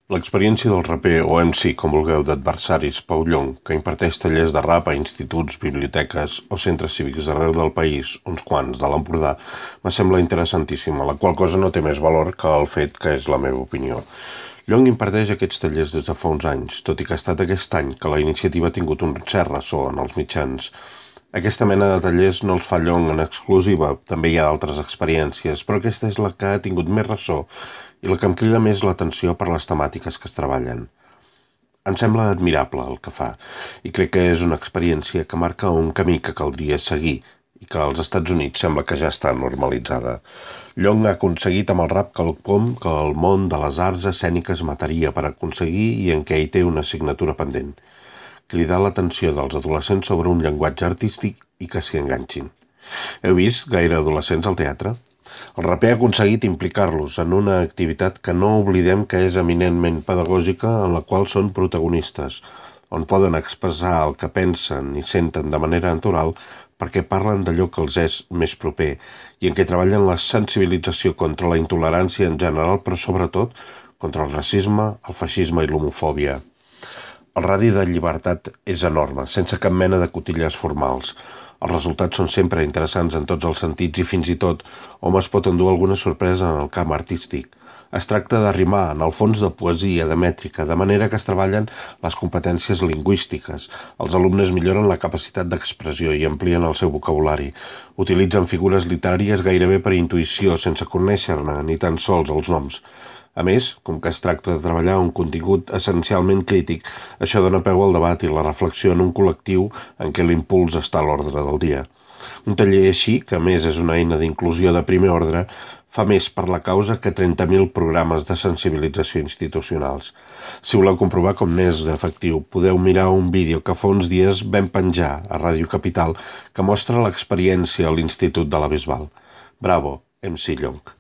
L'experiència del raper o MC, com vulgueu, d'Adversaris Pau Llong, que imparteix tallers de rap a instituts, biblioteques o centres cívics d'arreu del país, uns quants de l'Empordà, me sembla interessantíssima, la qual cosa no té més valor que el fet que és la meva opinió. Llong imparteix aquests tallers des de fa uns anys, tot i que ha estat aquest any que la iniciativa ha tingut un cert ressò en els mitjans. Aquesta mena de tallers no els fa Llong en exclusiva, també hi ha d'altres experiències, però aquesta és la que ha tingut més ressò i la que em crida més l'atenció per les temàtiques que es treballen. Em sembla admirable el que fa i crec que és una experiència que marca un camí que caldria seguir i que als Estats Units sembla que ja està normalitzada. Llong ha aconseguit amb el rap quelcom que el món de les arts escèniques mataria per aconseguir i en què hi té una assignatura pendent: cridar l'atenció dels adolescents sobre un llenguatge artístic i que s'hi enganxin. Heu vist gaire adolescents al teatre? El raper ha aconseguit implicar-los en una activitat que no oblidem que és eminentment pedagògica, en la qual són protagonistes, on poden expressar el que pensen i senten de manera natural perquè parlen d'allò que els és més proper i en què treballen la sensibilització contra la intolerància en general, però sobretot contra el racisme, el feixisme i l'homofòbia. El radi de llibertat és enorme, sense cap mena de cotilles formals. Els resultats són sempre interessants en tots els sentits i fins i tot hom es pot endur alguna sorpresa en el camp artístic. Es tracta de rimar, en el fons de poesia, de mètrica, de manera que es treballen les competències lingüístiques. Els alumnes milloren la capacitat d'expressió i amplien el seu vocabulari. Utilitzen figures literàries gairebé per intuïció, sense conèixer-ne ni tan sols els noms. A més, com que es tracta de treballar un contingut essencialment crític, això dona peu al debat i la reflexió en un col·lectiu en què l'impuls està a l'ordre del dia. Un taller així, que a més és una eina d'inclusió de primer ordre, fa més per la causa que 30.000 programes de sensibilització institucionals. Si voleu comprovar com n'és d'efectiu, podeu mirar un vídeo que fa uns dies vam penjar a Ràdio Capital que mostra l'experiència a l'Institut de la Bisbal. Bravo, MC Llong.